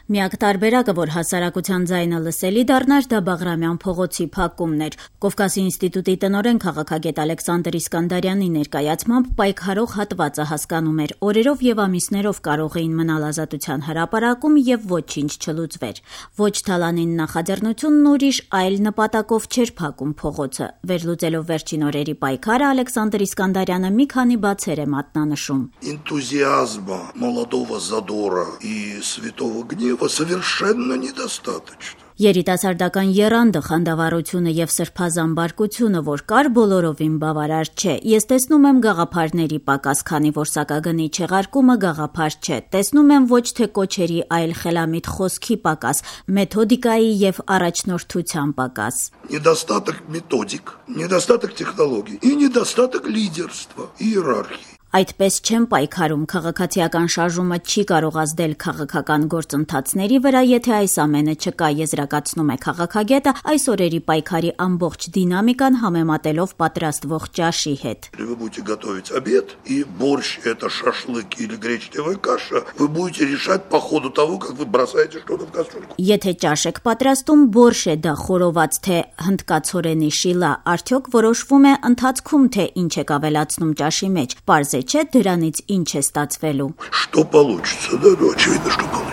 Միակ տարբերակը, որ հասարակության ձայնը լսելի դառնար, դա Բաղրամյան փողոցի փակումն էր։ Կովկասի ինստիտուտի տնօրեն քաղաքագետ Ալեքսանդր Իսկանդարյանի ներկայացմամբ պայքարող հատվածը հասկանում էր՝ օրերով եւ ամիսներով կարող էին մնալ ազատության հրապարակում եւ ոչինչ չլուծվեր։ Ոչ թալանին նախաձեռնությունն ուրիշ այլ նպատակով չէր փակում փողոցը։ Վերլուծելով վերջին օրերի պայքարը, Ալեքսանդր Իսկանդարյանը մի քանի բացեր է մատնանշում։ Энтузиазма, молодого задора и святого гнева совершенно недостаточно. Երիտասարդական եռանդը, խանդավառությունը եւ սրբազան բարկությունը, որ կար, բոլորովին բավարար չէ։ Ես տեսնում եմ գաղափարների պակաս, քանի որ սակագնի չեղարկումը գաղափար չէ։ Տեսնում եմ ոչ թե կոչերի, այլ խելամիտ խոսքի պակաս, մեթոդիկայի եւ առաջնորդության պակաս։ Недостаток методик, недостаток технологий и недостаток лидерства, иерархии. Այդպես չեմ պայքարում, քաղաքացիական շարժումը չի կարող ազդել քաղաքական գործընթացների վրա, եթե այս ամենը չկա, եզրակացնում է քաղաքագետը այս օրերի պայքարի ամբողջ դինամիկան համեմատելով պատրաստվող ճաշի հետ։ Вы будете готовить обед, и борщ это шашлык или гречневая каша, вы будете решать по ходу того, как вы бросаете что-то в кастрюльку. Եթե ճաշ եք պատրաստում, борщ է դա խորոված թե հնդկացորենի շիլա, արդյոք որոշվում է ընթացքում, թե ինչ եք ավելացնում ճաշի մեջ, պարզ չէ դրանից ինչ է ստացվելու։ Что получится, да, очевидно, что получится.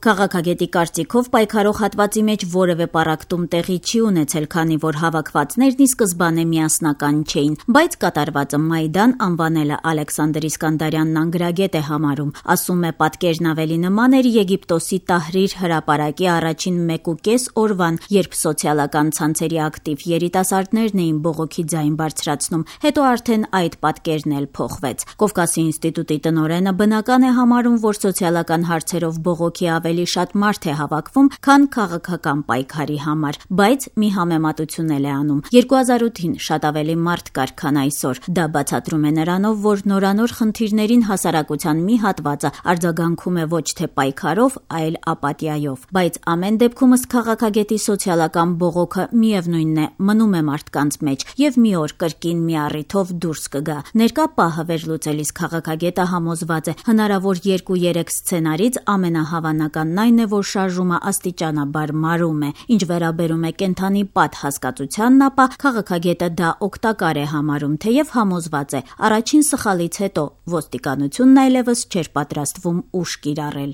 Քաղաքագետի կարծիքով պայքարող հատվածի մեջ որևէ պառակտում տեղի չի ունեցել, քանի որ հավաքվածներն ի սկզբանե միասնական չէին, բայց կատարվածը Մայդան անվանելը Ալեքսանդր Իսկանդարյանն անգրագետ է համարում, ասում է պատկերն ավելի նման էր Եգիպտոսի Տահրիր հրապարակի առաջին 1.5 օրվան, երբ սոցիալական ցանցերի ակտիվ երիտասարդներն էին բողոքի ձայն բարձրացնում, հետո արդեն այդ պատկերն էլ փոխվեց։ Կովկասի ինստիտուտի տնօրենը բնական է համարում, որ սոցիալական հարցերով բողոքի ավելի շատ մարդ է հավաքվում, քան քաղաքական պայքարի համար, բայց մի համեմատություն էլ է անում։ 2008-ին շատ ավելի մարդ կար, քան այսօր։ Դա բացատրում է նրանով, որ նորանոր խնդիրներին հասարակության մի հատվածը արձագանքում է ոչ թե պայքարով, այլ ապաթիայով։ Բայց ամեն դեպքում ըստ քաղաքագետի սոցիալական բողոքը միևնույնն է, մնում է մարդկանց մեջ եւ մի օր կրկին մի առիթով դուրս կգա։ Ներկա պահը վերլուծելիս քաղաքագետը համոզված է, հնարավոր 2-3 սցենարից ամենահավանականն այն է, որ շարժումը աստիճանաբար մարում է։ Ինչ վերաբերում է կենթանի պատ հասկացությանն, ապա քաղաքագետը դա օգտակար է համարում, թեև համոզված է, առաջին սխալից հետո ոստիկանությունն այլևս չէր պատրաստվում ուժ կիրառել։